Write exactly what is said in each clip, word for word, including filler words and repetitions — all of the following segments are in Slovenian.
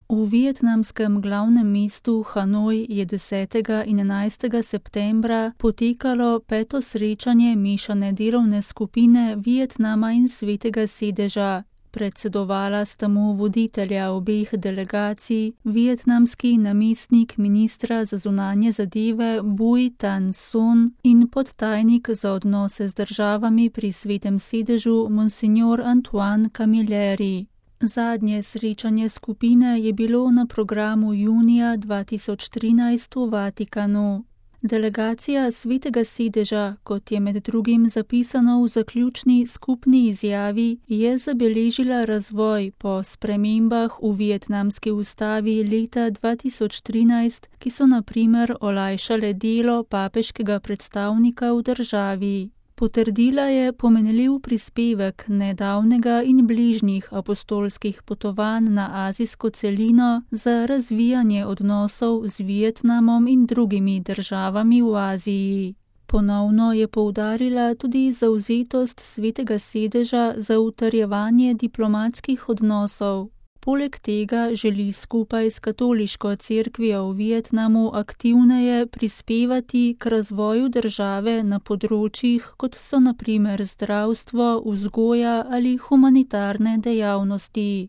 V vietnamskem glavnem mestu Hanoj je desetega in enajstega septembra potekalo peto srečanje mešane delovne skupine Vietnama in Svetega sedeža. Predsedovala sta mu voditelja obeh delegacij, vietnamski namestnik ministra za zunanje zadeve Bui Thanh Son in podtajnik za odnose z državami pri Svetem sedežu Monsignor Antoine Camilleri. Zadnje srečanje skupine je bilo na programu junija dva tisoč trinajst v Vatikanu. Delegacija Svetega sedeža, kot je med drugim zapisano v zaključni skupni izjavi, je zabeležila razvoj po spremembah v vietnamski ustavi leta dva tisoč trinajst, ki so na primer olajšale delo papeškega predstavnika v državi. Potrdila je pomenljiv prispevek nedavnega in bližnjih apostolskih potovanj na azijsko celino za razvijanje odnosov z Vietnamom in drugimi državami v Aziji. Ponovno je poudarila tudi zavzetost Svetega sedeža za utrjevanje diplomatskih odnosov. Poleg tega želi skupaj s katoliško cerkvijo v Vietnamu aktivneje prispevati k razvoju države na področjih, kot so na primer zdravstvo, vzgoja ali humanitarne dejavnosti.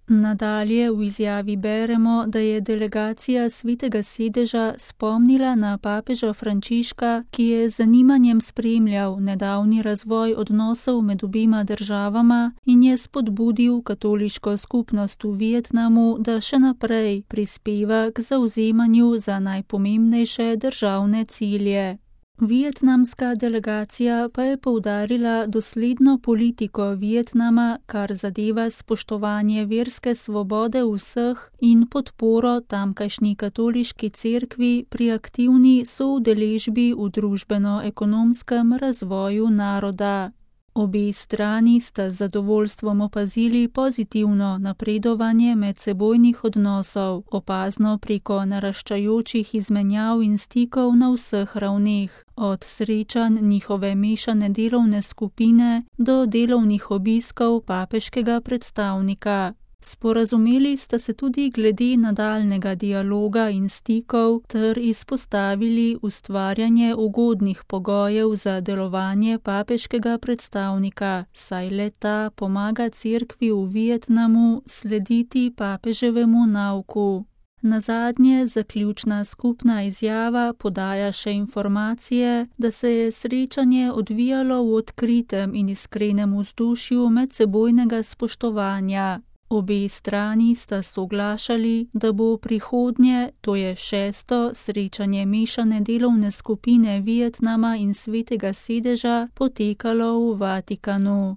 Nadalje v izjavi beremo, da je delegacija Svetega sedeža spomnila na papeža Frančiška, ki je z zanimanjem spremljal nedavni razvoj odnosov med obima državama in je spodbudil katoliško skupnost v Vietnamu, da še naprej prispeva k zavzemanju za najpomembnejše državne cilje. Vietnamska delegacija pa je poudarila dosledno politiko Vietnama, kar zadeva spoštovanje verske svobode vseh in podporo tamkajšnji katoliški cerkvi pri aktivni soudeležbi v družbeno-ekonomskem razvoju naroda. Obe strani sta z zadovoljstvom opazili pozitivno napredovanje medsebojnih odnosov, opazno preko naraščajočih izmenjav in stikov na vseh ravneh, od srečanj njihove mešane delovne skupine do delovnih obiskov papeškega predstavnika. Sporazumeli sta se tudi glede nadaljnega dialoga in stikov ter izpostavili ustvarjanje ugodnih pogojev za delovanje papeškega predstavnika, saj le-ta pomaga cerkvi v Vietnamu slediti papeževemu nauku. Nazadnje zaključna skupna izjava podaja še informacije, da se je srečanje odvijalo v odkritem in iskrenem vzdušju medsebojnega spoštovanja. Obe strani sta soglašali, da bo prihodnje, to je šesto srečanje mešane delovne skupine Vietnama in Svetega sedeža, potekalo v Vatikanu.